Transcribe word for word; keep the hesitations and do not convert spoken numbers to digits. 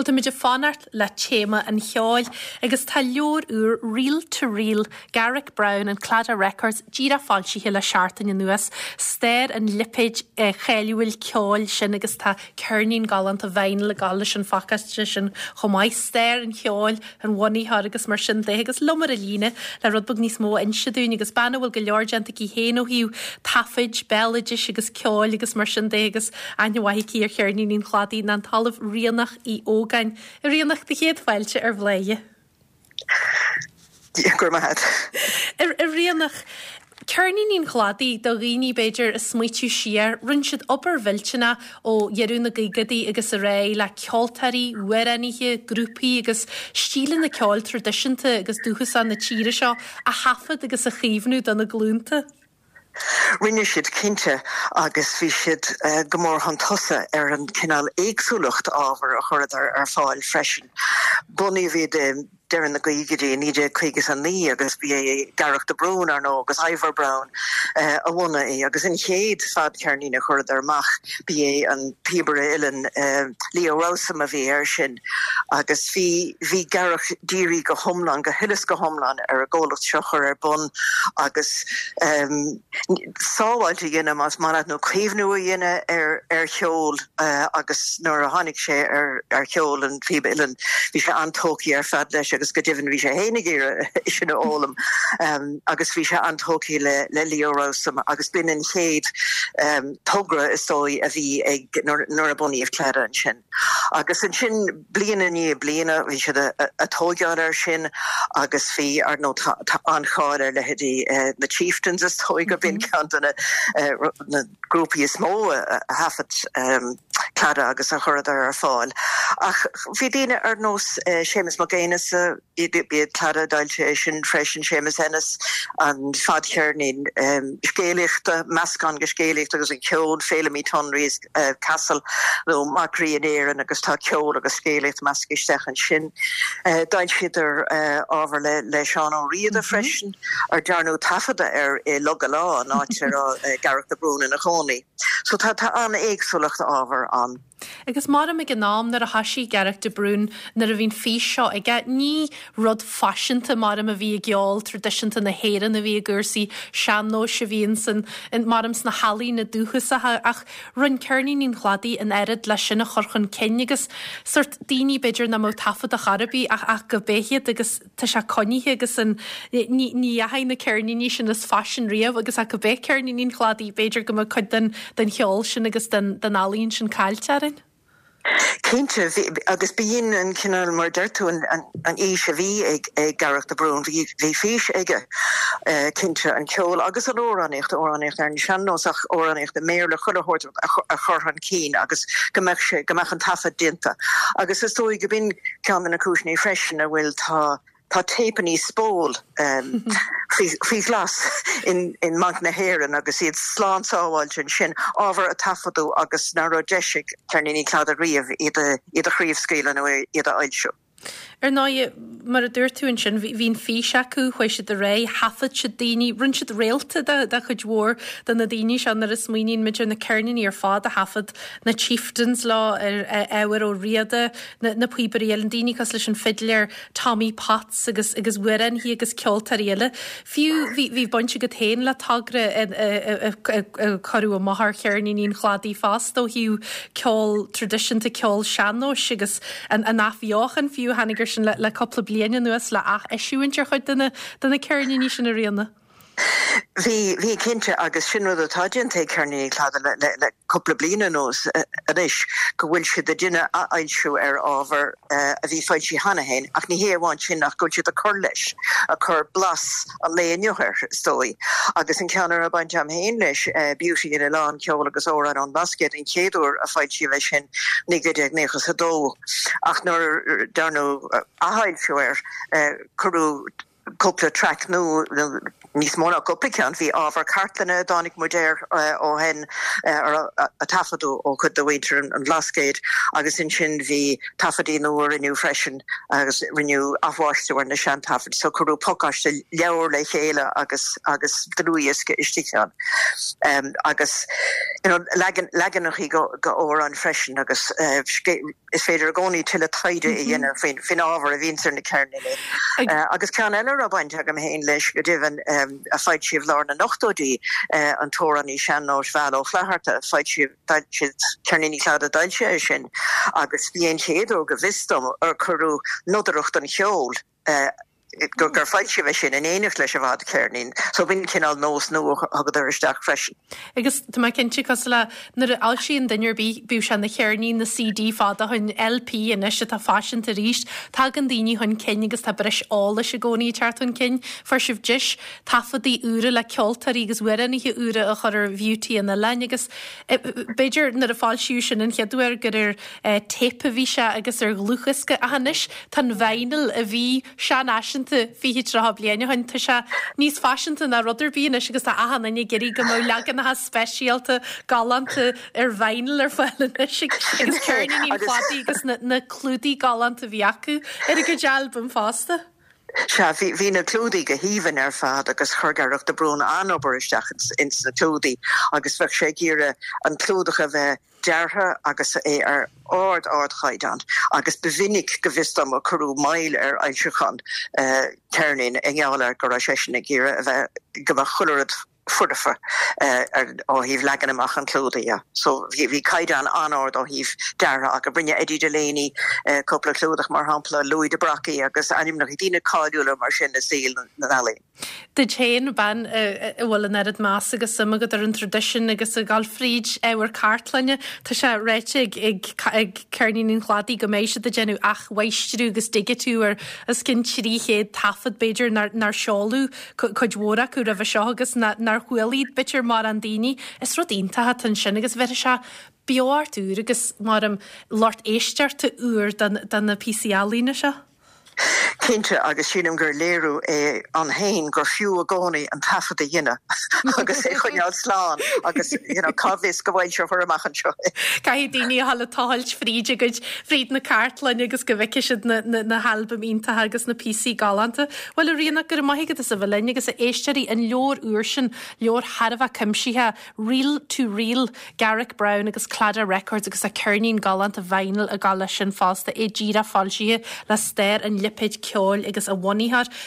Bhuel táimid ag fanacht le téama an cheoil agus tá leabhar úr Reel to Reel Garech Browne and Claddagh Records díreach foilsithe le seachtain anuas, stair an lipéid eh, cháiliúil ceoil sin agus tá ceirnín galánta vinyl ag gabháil leis an phacáiste sin chomh maith stair an cheoil an bhunaitheoir agus mar sin de agus liom ar an líne le rud beag níos mó a inse dúinn agus bean a bhfuil go leor déanta aici féin ó thaobh taifid, béaloidis agus ceoil agus mar sin de agus aithne mhaith aici ar cheirníní an Chladaigh ná an tOllamh Ríonach Uí Ógáin. Ríonach do chéad fáilte ar Bhladhaire. Gur maith. A Ríonach, Ceirníní an Chladaigh do dhaoine b'fhéidir ag smaoitiú siar, rinne siad obair mhillteanach ó dheireadh na gcaogaidí agus ar aghaidh le ceoltóirí, amhránaithe, grúpaí agus stíleanna ceoil traidisiúnta agus dúchasach na tíre seo a thaifead agus a chaomhnú do na glúnta. Rinne siad cinnte agus bhí siad uh, go mór chun tosaigh ar an cineál éagsúlacht ábhar a chuireadar ar fáil freisin. Bunaíodh iad deireadh na gcaogaidí naoi déag caoga a naoi agus bhí Garech de Brún ar ndóigh agus Ivor Browne uh, a bhunaigh é agus an chéad fadcheirnín a chuireadar amach ba é an píobaire uilleann uh, Leo Rowsome a bhí air sin agus bhí bhí Garech dírithe go hiomlán go huile is go hiomlán ar an gcomhlacht seo chur ar bun agus um, sábháilt a dhéanamh más maith nó caomhnú a dhéanamh ar ar cheol uh, agus nuair a tháinig sé ar ar cheol an phíb uilleann bhí sé an-tógtha ar fad leis agus go deimhin bhí sé féin sin a fhoghlaim um, agus bhí sé an-tógtha le le Leo Rowsome agus b'in an chéad um, togra is dóigh a bhí ag nuair a bunaíodh Claddagh ansin. Agus ansin bliain i ndiaidh bliana bhí siad ag tógáil air sin agus bhí ar ndóigh an-cháil ar leithéidí uh, na Chieftains is dóigh go b'in ceann de na uh, na grúpaí is mó a thaifead um, Claddagh agus a chuireadar ar fáil. Ach bhí daoine ar nós uh, Séamus Mac Aonghusa bhí Claddagh d'fhoilsigh sin freisin Séamus Ennis an fadcheirnín um, scéalaíochta meascán de scéalaíocht agus an ceol Fheilimí Tonry's uh, Castle nó Mac Rí in Éirinn agus tá ceol agus scéalaíocht measctha isteach ansin. Uh, D'fhoilsíodar uh, ábhar le le Seán Ó Riada mm -hmm. freisin ar dearnadh taifeadadh air i Log a' Lá an áit ar uh, Garech de Brún ina chónaí. So tá tá an-éagsúlacht ábhar ann. Agus mar ag an am nuair a thosaigh Garech de Brún nuair a bhíonn fís seo aige ní rud faiseanta mar a bhí i gceol traidisiúnta na hÉireann a bhí i gcúrsaí sean-nóis a bhíonn san mar sna healaíona dúchasacha ach rinne Ceirníní an Chladaigh an oiread leis sin a chur chun cinn agus sórt daoine b'fhéidir nach mbeadh taifead ar bith ach ach go béhéad agus tá sé coinnithe agus an ní dheachaigh na ceirníní sin as faisean riamh agus ach go bé ceirníní an Chladaigh b'fhéidir go mbeadh cuid den den cheol sin agus den den ealaín sin caillte orainn. Cinnte agus b'in an cineál mar deir tú an, an, an fhís a bhí ag ag Garech de Brún bhí fís aige uh, cinnte an ceol agus an amhránaíocht amhránaíocht ar an sean-nós ach amhránaíocht i mBéarla chuile shórt a chur chun cinn agus go mbeadh sé go mbeadh an taifead déanta. Agus is dóigh go b'in ceann de na cúiseanna freisin a bhfuil tá tá téipeanna spól um, faoi ghlas in, in mBanc na hÉireann agus iad slán sábháilte sin ábhar a taifeadadh agus nach raibh deis ag Ceirníní Claddagh riamh iad iad a chraobhscaoileadh nó iad a fhoilsiú. Ar ndóigh mar a dúirt tú ansin bhí'n fís acu chuaigh siad ar aghaidh, thaifead siad daoine, rinne siad réalta de de chuid mhór de na daoine seo nuair a smaoiníonn muid ar na ceirníní ar fad a thaifead na Chieftains lá ar Ivor Ó Riada na, na píobairí eile, daoine cosúil leis an fidléir Tommy Potts agus agus amhránaithe agus ceoltóirí eile. Fiú bhí bhí baint agat féin le togra cuireadh amach ar cheirníní an Chladaigh fosta ó thaobh ceol traidisiúnta ceol sean-nóis agus an an athbheochan fiú tháinig sin le, le cúpla bliain anuas le atheisiúint ar chuid de na de na ceirníní sin a Ríona. Bhí bhí cinnte agus sin rud atá déanta ag Ceirníní Claddagh le, le, le cúpla bliain anuas anois go bhfuil siad ag déanamh athfhoilsiú ar ábhar uh, a bhí foilsithe cheana féin ach ní hé amháin sin ach go bhfuil siad ag cur leis ag cur blas an lae inniu air is dóigh. agus an ceann a baint am féin leis uh, Beauty in Oileán ceol agus amhráin ón mBlascaod an chéad uair a foilsíodh é sin naoi déag nócha a dó ach nuair dearnadh athfhoilsiú air uh, cuireadh cúpla track nó níos mó ná cúpla ceann bhí ábhar cartlainne a dtáinig muid air ó shin a taifeadadh ó chuid de mhuintir an Bhlascaoid agus ansin bhí taifeadaí nua rinneadh freisin agus rinneadh athmháistriú ar na seantaifid so cuireadh pacáiste leabhar le chéile agus agus dlúthdhiosca istigh ann. Um, agus you know, leagan leaganacha go go amhráin freisin agus uh, is féidir i gcónaí tuilleadh taighde a dhéanamh faoin faoin ábhar a bhíonn ar na ceirníní. Uh, agus ceann eile a baint agam féin leis go deimhin um, a foilsíodh lár na n-ochtóidí uh, an t-amhránaí sean-nóis Val Ó Flatharta foilsíodh Ceirníní Cladaigh a d'fhoilsigh é sin agus bhí an chéad uair go bhfios dom ar cuireadh nodaireacht an cheoil uh, gur gur foilsíodh é sin in éineacht leis an bhfadcheirnín, so b'in cineál nós nua a thugadar isteach freisin. Agus tá mé cinnte cosúil le nuair a fhoilsíonn duine ar bith bíodh sé ina cheirnín nó CD fada ó shin LP anois atá faiseanta arís, tagann daoine chun cinn agus tá breis eolais i gcónaí ag teacht chun cinn, fuair sibh deis taifeadaí úra le ceoltóirí agus amhránaithe úra a chur ar Bheauty an Oileáin agus b'fhéidir nuair a foilsíodh sin an chéad uair gur ar téip a bhí sé agus ar dhlúthdhiosca ach anois tá an vinyl a bhí seanfhaiseanta fiche tríocha bliain ó shin tá sé níos faiseanta ná rud ar bith anois agus tá achan duine ag iarraidh go mbeadh leaganacha speisialta galánta ar vinyl ar fáil anois agus ceirníní an Chladaigh agus na, na clúdaigh galánta a bhí acu ar a gcuid albam fosta. Sea bhí bhí na clúdaigh go haoibhinn ar fad agus chuir Gearóid de Brún an-obair isteach ins na clúdaigh agus bheadh sé ag iarraidh an clúdach a bheith deartha agus é ar ard ardchaighdeán agus ba mhinic go bhfios dom a cuireadh moill ar fhoilseachán uh, ceirnín i ngeall ar go raibh seisean ag iarraidh a bheith go mbeadh chuile rud foirfe uh, ar ó thaobh leagan amach an chlúdaigh. So bhí bhí caighdeán an-ard ó thaobh deartha agus rinne Eddie Delaney uh, cúpla clúdach mar shampla Louis de Brockie agus ainmneacha daoine cáiliúla mar sin i saol na n-ealaíon. Duit féin bean a bhfuil an oiread meas agus suim agat ar an traidisiún agus ag dul fríd ábhar cartlainne Tá sé ráite ag ag Ceirníní an Chladaigh go mbeidh siad ag déanamh athmháistriú agus digitiú ar os cionn trí chéad taifead b'fhéidir nár seoladh cuid mhór acu roimhe seo agus nár chuala b'fhéidir mórán daoine is rud iontach atá ansin agus bheir sé beocht úr agus mar um, lucht éisteachta úr do na píosaí ealaíne seo. Cinnte agus sílim gur léiriú é an féin gur fiú i gcónaí an taifead a dhéanamh agus é choinneáil slán agus you know, cá bhfios go bhfoilseofar amach anseo. Caithfidh daoine a dhul ag tochailt fríd a gcuid fríd na cartlainne agus go bhfeicfidh siad na, na, na halbaim iontacha agus na píosaí galánta. Well a Ríona go raibh maith agat as a bheith linn agus a éisteoirí an leabhar úr sin leabhar thar a bheith cuimsitheach Reel to Reel Garrick Brown agus Claddagh Records agus a ceirnín galánta vinyl ag gabháil leis sin fosta é díreach foilsithe le Stair an Lipéid Ceoil agus a bhunaitheoir